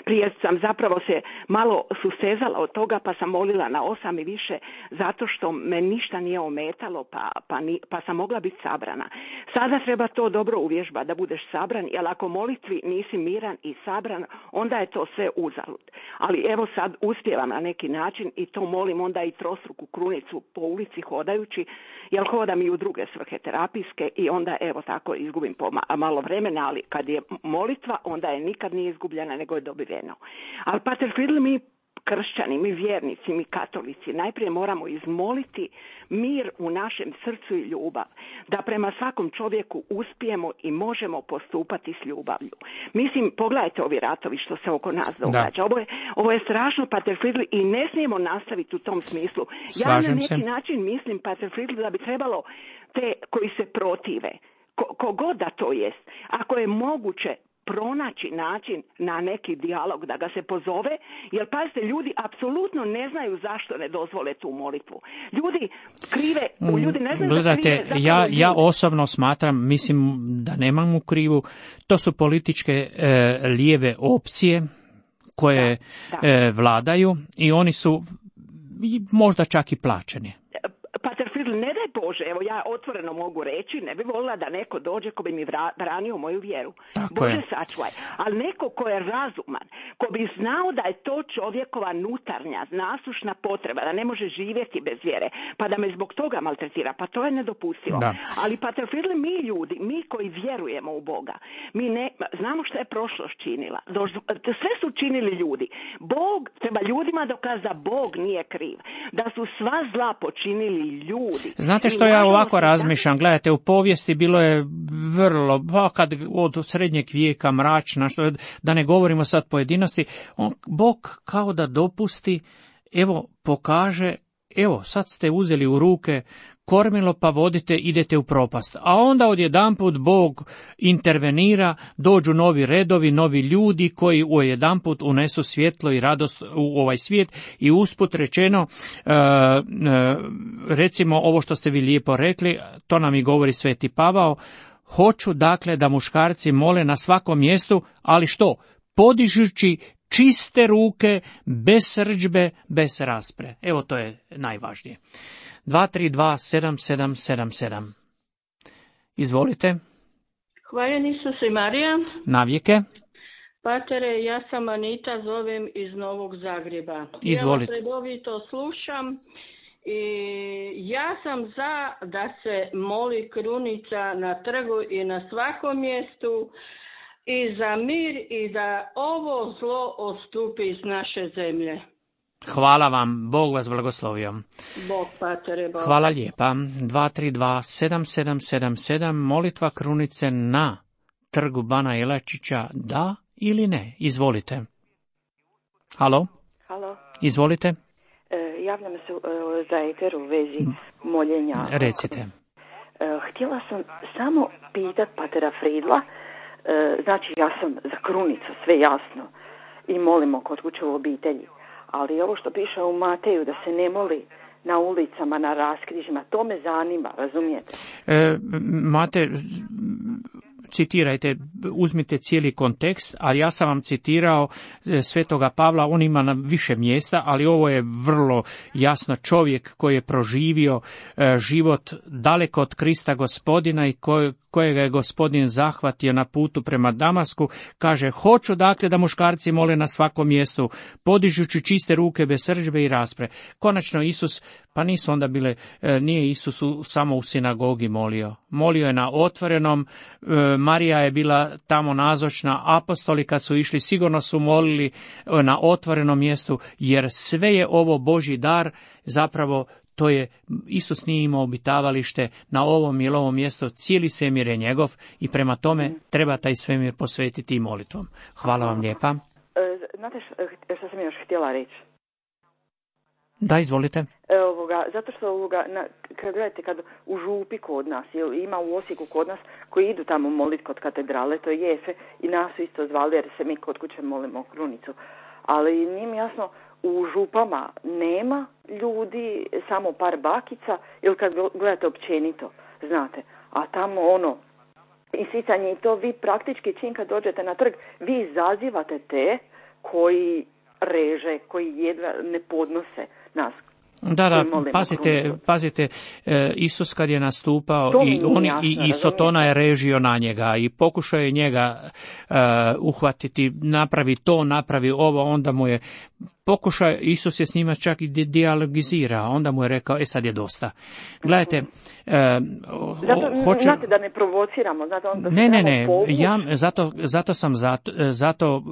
Prije sam zapravo se malo sustezala od toga, pa sam molila na osam i više, zato što me ništa nije ometalo, pa, pa, ni, pa sam mogla biti sabrana. Sada treba to dobro uvježba da budeš sabran, jer ako molitvi nisi miran i sabran, onda je to sve uzalud. Ali evo sad uspijevam na neki način i to molim onda i trostruku krunicu po ulici hodajući, jer hodam i u druge svrhe terapijske i onda evo tako izgubim po malo vremena, ali kad je molitva, onda je nikad nije izgubljena, nego je dobiveno. Ali Paterfield, mi kršćani, mi vjernici, mi katolici, najprije moramo izmoliti mir u našem srcu i ljubav, da prema svakom čovjeku uspijemo i možemo postupati s ljubavlju. Mislim, pogledajte ovi ratovi što se oko nas događa. Ovo je, ovo je strašno, Paterfield, i ne smijemo nastaviti u tom smislu. Slažem ja na neki se. način mislim, Paterfield, da bi trebalo te koji se protive, kogod da to jest, ako je moguće pronaći način na neki dijalog da ga se pozove, jer pazite, ljudi apsolutno ne znaju zašto ne dozvole tu molitvu. Ljudi krive, ljudi ne znaju Gledajte, da krive ja, ja ljudi. osobno smatram, mislim da nemam u krivu, to su političke e, lijeve opcije koje Da, da. E, vladaju i oni su i možda čak i plaćeni. Paterfield, ne daj Bože, evo ja otvoreno mogu reći, ne bi volila da neko dođe ko bi mi vra, branio moju vjeru. Tako Bože je. sačuvaj. Ali neko ko je razuman, ko bi znao da je to čovjekova nutarnja, nasušna potreba, da ne može živjeti bez vjere, pa da me zbog toga maltretira, pa to je nedopustivo. Da. Ali Paterfield, mi ljudi, mi koji vjerujemo u Boga, mi ne, znamo što je prošlost činila. Sve su činili ljudi. Bog, treba ljudima dokazati da Bog nije kriv. Da su sva zla počinili ljudi. Znate što ja ovako razmišljam, gledajte, u povijesti bilo je vrlo, pa kad od srednjeg vijeka mračna, što, da ne govorimo sad pojedinosti, on, Bog kao da dopusti, evo pokaže, evo sad ste uzeli u ruke kormilo pa vodite, idete u propast. A onda odjedanput Bog intervenira, dođu novi redovi, novi ljudi koji odjedanput unesu svjetlo i radost u ovaj svijet i usput rečeno, recimo ovo što ste vi lijepo rekli, to nam i govori Sveti Pavao, hoću dakle da muškarci mole na svakom mjestu, ali što? Podižući čiste ruke, bez srdžbe, bez raspre. Evo to je najvažnije. dva tri dva sedam sedam sedam sedam. Izvolite. Hvaljen Isus i Marija. Navijeke. Patere, ja sam Anita, zovem iz Novog Zagreba. Izvolite. Ja vas redovito slušam i ja sam za da se moli krunica na trgu i na svakom mjestu i za mir i da ovo zlo odstupi iz naše zemlje. Hvala vam, Bog vas blagoslovio. Bog, Patere, Bog. Hvala lijepa. dva tri dva sedam sedam sedam sedam, molitva krunice na trgu Bana Jelačića, da ili ne? Izvolite. Halo? Halo? Izvolite. E, javljam se e, za eter u vezi moljenja. Recite. E, htjela sam samo pitat Patera Fridla, e, znači ja sam za krunicu, sve jasno, i molimo kod kuće u obitelji. Ali ovo što piše u Mateju, da se ne moli na ulicama, na raskrižima, to me zanima, razumijete? E, Mate, citirajte, uzmite cijeli kontekst, ali ja sam vam citirao Svetoga Pavla, on ima na više mjesta, ali ovo je vrlo jasno čovjek koji je proživio život daleko od Krista Gospodina i koji kojega je Gospodin zahvatio na putu prema Damasku, kaže, hoću dakle da muškarci mole na svakom mjestu, podižući čiste ruke bez srdžbe i raspre. Konačno Isus, pa nisu onda bile, nije Isus samo u sinagogi molio. Molio je na otvorenom, Marija je bila tamo nazočna, apostoli kad su išli sigurno su molili na otvorenom mjestu, jer sve je ovo Božji dar, zapravo to je, Isus nije imao obitavalište na ovom ili ovom mjestu, cijeli svemir je njegov i prema tome treba taj svemir posvetiti i molitvom. Hvala vam lijepa. Znate što sam još htjela reći? Da, izvolite. Ovoga, zato što ovoga, na, kad gledajte, kad u župi kod nas, ima u Osijeku kod nas, koji idu tamo moliti kod katedrale, to je Jefe, i nas su isto zvali jer se mi kod kuće molimo krunicu. Ali nije mi jasno, u župama nema ljudi, samo par bakica, ili kad gledate općenito, znate, a tamo ono, isicanje i to, vi praktički čim kad dođete na trg, vi izazivate te koji reže, koji jedva ne podnose nas. Da, da, pazite, pazite, Isus kad je nastupao i, on, jasno, i, i Sotona je režio na njega i pokušao je njega uh, uhvatiti, napravi to, napravi ovo, onda mu je pokušao, Isus je s njima čak i dijalogizirao, onda mu je rekao, e sad je dosta. Gledajte, uh, zato, hoće... znate da ne provociramo, znate, onda ne, ne, ne, ja zato, zato sam zato, zato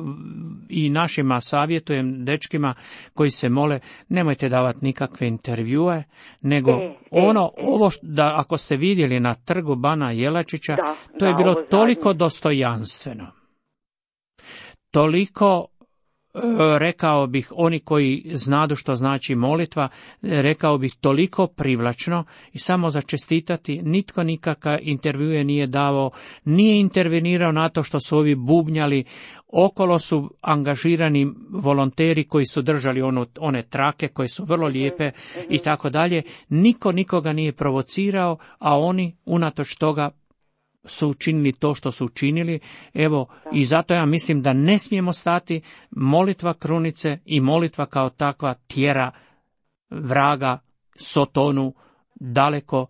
i našima savjetujem, dečkima koji se mole, nemojte davati nikakve intervjue, nego e, ono, e, ovo što, da ako ste vidjeli na trgu Bana Jelačića, da, to je da, bilo toliko zadnje. Dostojanstveno. Toliko, rekao bih, oni koji znadu što znači molitva, rekao bih toliko privlačno i samo za čestitati, nitko nikakav intervjue nije davao, nije intervenirao na to što su ovi bubnjali, okolo su angažirani volonteri koji su držali ono, one trake koje su vrlo lijepe i tako dalje, niko nikoga nije provocirao, a oni unatoč toga su učinili to što su učinili. Evo, i zato ja mislim da ne smijemo stati, molitva krunice i molitva kao takva tjera vraga, Sotonu daleko.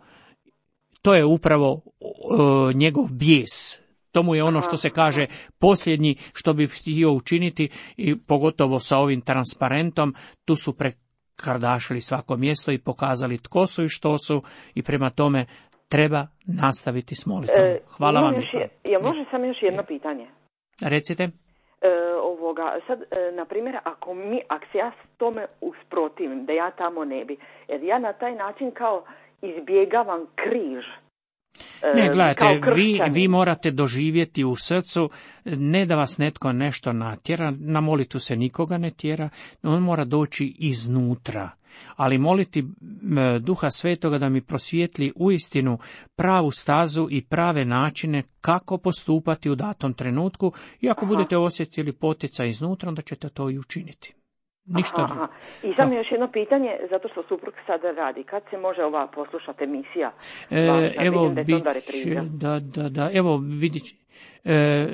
To je upravo uh, njegov bijes. To mu je ono što se kaže posljednji što bi htio učiniti i pogotovo sa ovim transparentom, tu su prekardašili svako mjesto i pokazali tko su i što su i prema tome treba nastaviti s molitvom. Hvala e, vam. Je, ja može samo još jedno pitanje? Recite. E, ovoga, sad, e, na primjer, ako mi, ako se ja s tome usprotivim, da ja tamo ne bi, jer ja na taj način kao izbjegavam križ. E, ne, gledajte, vi, vi morate doživjeti u srcu, ne da vas netko nešto natjera, na molitvu se nikoga ne tjera, on mora doći iznutra. Ali moliti Duha Svetoga da mi prosvijetli uistinu pravu stazu i prave načine kako postupati u datom trenutku i ako Aha. budete osjetili poticaj iznutra, onda ćete to i učiniti. Ništa Aha. drugo. I samo još jedno pitanje, zato što suprug sada radi. Kad se može ova poslušati emisija? E, Važna, evo, da, bit, da, da, da, evo vidit E,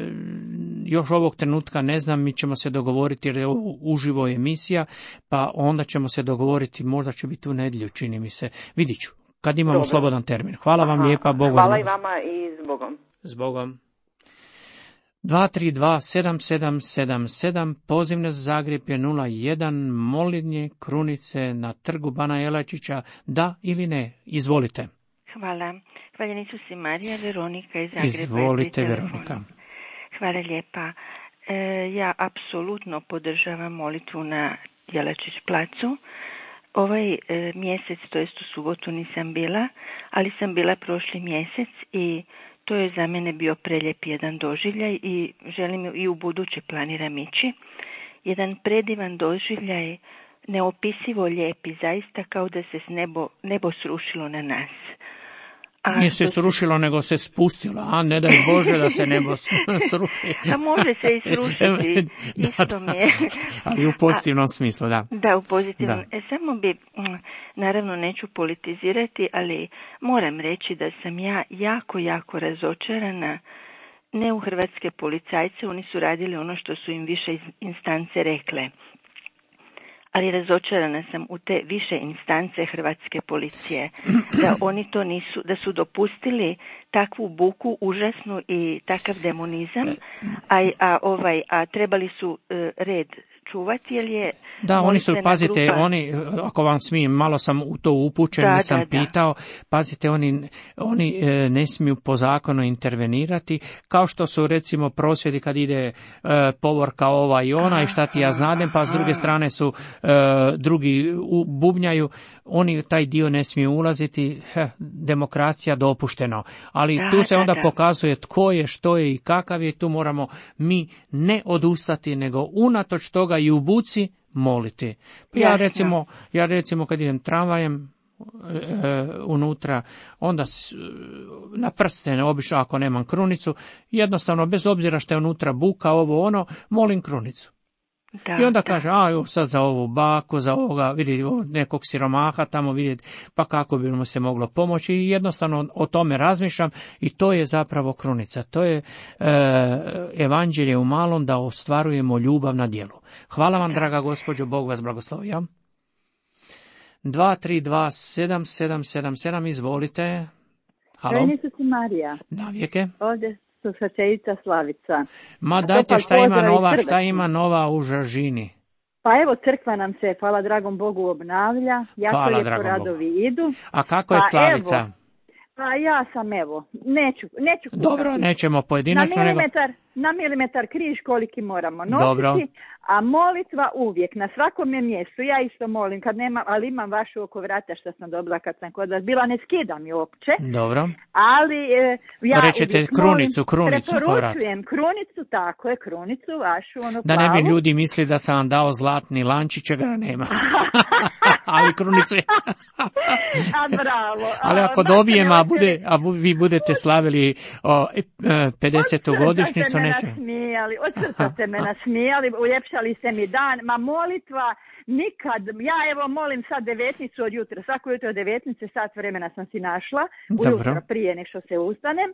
još ovog trenutka ne znam, mi ćemo se dogovoriti jer je ovo uživo emisija, pa onda ćemo se dogovoriti, možda će biti u nedjelju, čini mi se. Vidit ću, kad imamo Dobre. slobodan termin. Hvala Aha. vam lijepa, Bogom. Hvala i vama i s Bogom. S Bogom. dva tri dva sedam sedam sedam sedam, pozivne za Zagreb je nula jedan, molitnje krunice na trgu Bana Jelačića, da ili ne, izvolite. Hvala. Hvala Isusi Marija, Veronika iz Zagreba. Izvolite, Veronika. Hvala lijepa. E, ja apsolutno podržavam molitvu na Jelačić placu. Ovaj e, mjesec, to jest u subotu nisam bila, ali sam bila prošli mjesec i to je za mene bio prelijep jedan doživljaj i želim i u buduće planiram ići. Jedan predivan doživljaj, neopisivo lijep i zaista kao da se s nebo, nebo srušilo na nas. A nije se srušilo, nego se spustilo, a ne daj Bože da se nebo sruši. A može se i srušiti, isto da, da. mi je. Ali u pozitivnom a, smislu, da. Da, u pozitivnom. Da. E, samo bi, naravno neću politizirati, ali moram reći da sam ja jako, jako razočarana ne u hrvatske policajce, oni su radili ono što su im više instance rekle. Ali razočarana sam u te više instance hrvatske policije, da oni to nisu, da su dopustili takvu buku užasnu i takav demonizam, a, a, ovaj, a trebali su uh, red čuvati, jer je... Da, oni su, pazite, grupa... oni, ako vam smijem, malo sam u to upućen, da, nisam da, pitao, da. Pazite, oni, oni e, ne smiju po zakonu intervenirati, kao što su, recimo, prosvjedi kad ide e, povorka ova i ona i šta ti ja znadem, pa s druge strane su e, drugi u, bubnjaju, oni taj dio ne smiju ulaziti, heh, demokracija dopušteno, ali da, tu se onda da, da. pokazuje tko je, što je i kakav je, tu moramo mi ne odustati, nego unatoč toga i u buci moliti. Ja Jasno. recimo, ja recimo kad idem tramvajem e, unutra, onda s, na prstene obično ako nemam krunicu, jednostavno bez obzira što je unutra buka, ovo ono, molim krunicu. Da, I onda da. kaže, a jo, sad za ovu baku, za ovoga, vidi nekog siromaha tamo vidjeti, pa kako bi mu se moglo pomoći, i jednostavno o tome razmišljam, i to je zapravo krunica. To je e, evanđelje u malom, da ostvarujemo ljubav na djelu. Hvala vam, draga gospođo, Bog vas blagoslovija. dva tri dva sedam sedam sedam sedam, izvolite. Halo. Ženicu si Marija. Navijeke. Ovdje slušateljica Slavica. Ma dajte, šta ima nova, šta ima nova u Žažini? Pa evo, crkva nam se, hvala dragom Bogu, obnavlja. Jako lijepo radovi Bogu. Idu. A kako je pa Slavica? Evo, pa ja sam, evo, neću, neću kukati. Dobro, nećemo pojedinačno. Na milimetar, nego... na milimetar križ koliki moramo nositi. Dobro. A molitva uvijek, na svakom je mjestu. Ja isto molim, kad nema, ali imam vašu oko vrata što sam dobila kad sam kod vas bila, ne skidam je uopće. Dobro. Ali e, ja Rećete krunicu, krunicu oko vrata. Preporučujem krunicu, tako je, krunicu vašu, ono da plavu. Ne bi ljudi mislili da sam vam dao zlatni lančić, čega nema. Ali krunicu je... a bravo. Ali ako dobijem, a, bude, a vi budete slavili o, pedesetu godišnjicu, neće. Nasmijali, od srca ste me nasmijali, uljepšali ste mi dan, ma molitva nikad, ja evo molim sad devetnicu od jutra, svako jutro devetnice, sat vremena sam si našla, ujutro prije nek što se ustanem,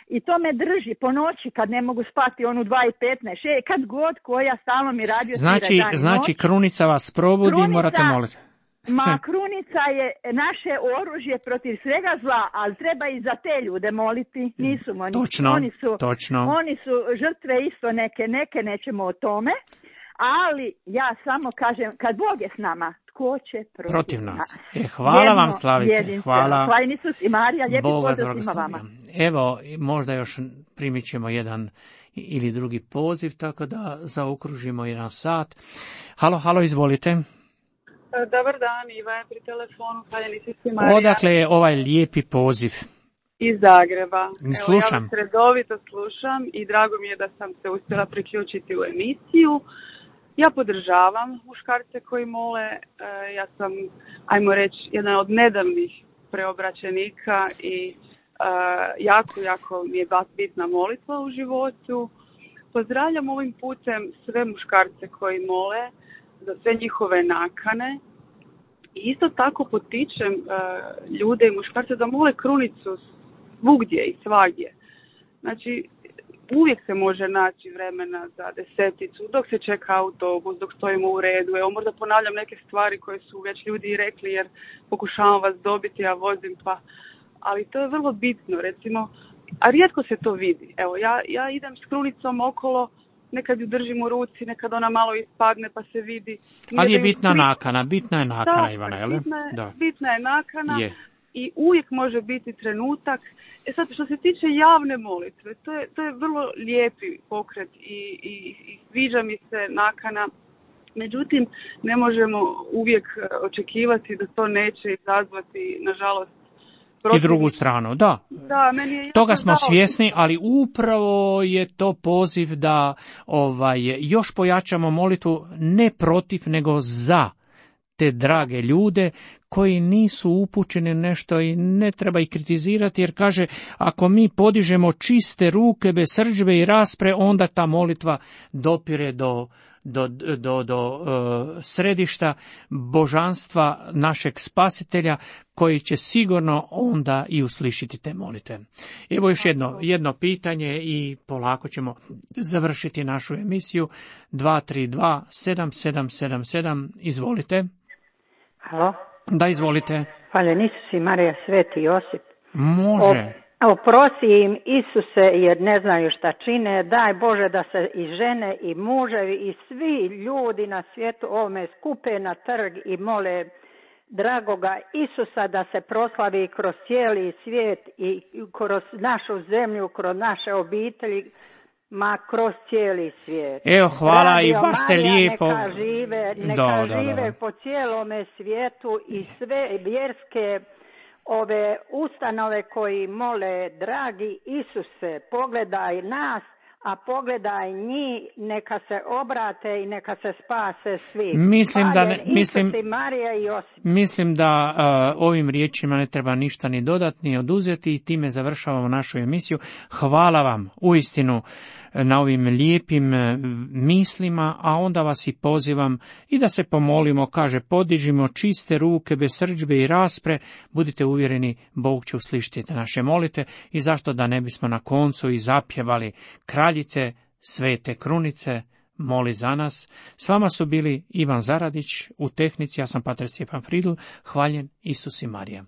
i to me drži po noći kad ne mogu spati onu dva i petnaest, kad god koja stalno mi radio znači, svira dan i Znači noć. Krunica vas probudi, Krunica, morate moliti. Ma krunica je naše oružje protiv svega zla, ali treba i za te ljude moliti. Nisu oni. Točno, oni su, točno. Oni su žrtve isto neke, neke nećemo o tome. Ali ja samo kažem, kad Bog je s nama, tko će protiv, protiv nas? E, hvala Jedno, vam, Slavice. Hvala. Hvala Isus i Marija, lijepi pozdrav svima vama. Evo, možda još primit ćemo jedan ili drugi poziv, tako da zaokružimo jedan sat. Halo, halo, izvolite. Dobar dan, Iva je pri telefonu, hvala Isus i Marija. Odakle je ovaj lijepi poziv? Iz Zagreba. Slušam. Evo, ja vas redovito slušam i drago mi je da sam se uspjela priključiti u emisiju. Ja podržavam muškarce koji mole. Ja sam, ajmo reći, jedan od nedavnih preobraćenika i jako, jako mi je bitna molitva u životu. Pozdravljam ovim putem sve muškarce koji mole za sve njihove nakane. I isto tako potičem ljude i muškarce da mole krunicu svugdje i svagdje. Znači, uvijek se može naći vremena za deseticu, dok se čeka autobus, dok stojimo u redu. Evo, možda ponavljam neke stvari koje su već ljudi rekli, jer pokušavam vas dobiti, ja vozim, pa... Ali to je vrlo bitno, recimo, a rijetko se to vidi. Evo, ja, ja idem s krunicom okolo, nekad ju držim u ruci, nekad ona malo ispadne pa se vidi. Ali je bitna nakana, bitna je nakana, da, Ivana, jel? Bitna je, da. bitna je nakana. Je. I uvijek može biti trenutak. E sad, što se tiče javne molitve, to je, to je vrlo lijepi pokret i, i, i sviđa mi se nakana. Međutim, ne možemo uvijek očekivati da to neće izazvati, nažalost, protiv... I drugu stranu, da. Da, meni je toga smo dao... svjesni, ali upravo je to poziv da ovaj, još pojačamo molitvu ne protiv, nego za te drage ljude koji nisu upućeni nešto i ne treba ih kritizirati, jer kaže, ako mi podižemo čiste ruke bez srdžbe i raspre, onda ta molitva dopire do do, do, do uh, središta božanstva našeg spasitelja, koji će sigurno onda i uslišiti te molitve. Evo još jedno, jedno pitanje i polako ćemo završiti našu emisiju. dva tri dva sedam sedam sedam sedam, izvolite. Halo? Da, izvolite. Hvala, Isus i Marija, Sveti Josip. Može. O, oprosti im, Isuse, jer ne znaju šta čine. Daj Bože da se i žene i muževi i svi ljudi na svijetu ovome skupe na trg i mole dragoga Isusa da se proslavi kroz cijeli svijet i kroz našu zemlju, kroz naše obitelji, ma kroz cijeli svijet. Evo, hvala. Radio i baš ste Marija, lijepo. Neka žive, neka da, žive da, da. po cijelome svijetu i sve vjerske ove ustanove koji mole, dragi Isuse, pogledaj nas, a pogledaj njih, neka se obrate i neka se spase svi. Mislim da, ne, mislim, Marija i Josip. mislim da uh, ovim riječima ne treba ništa ni dodati, ni oduzeti, i time završavamo našu emisiju. Hvala vam uistinu na ovim lijepim mislima, a onda vas i pozivam i da se pomolimo. Kaže, podižimo čiste ruke bez srdžbe i raspre, budite uvjereni, Bog će uslišiti naše molite, i zašto da ne bismo na koncu i zapjevali Kraljice Svete Krunice, moli za nas. S vama su bili Ivan Zaradić u tehnici, ja sam pater Stjepan Fridl. Hvaljen Isus i Marija.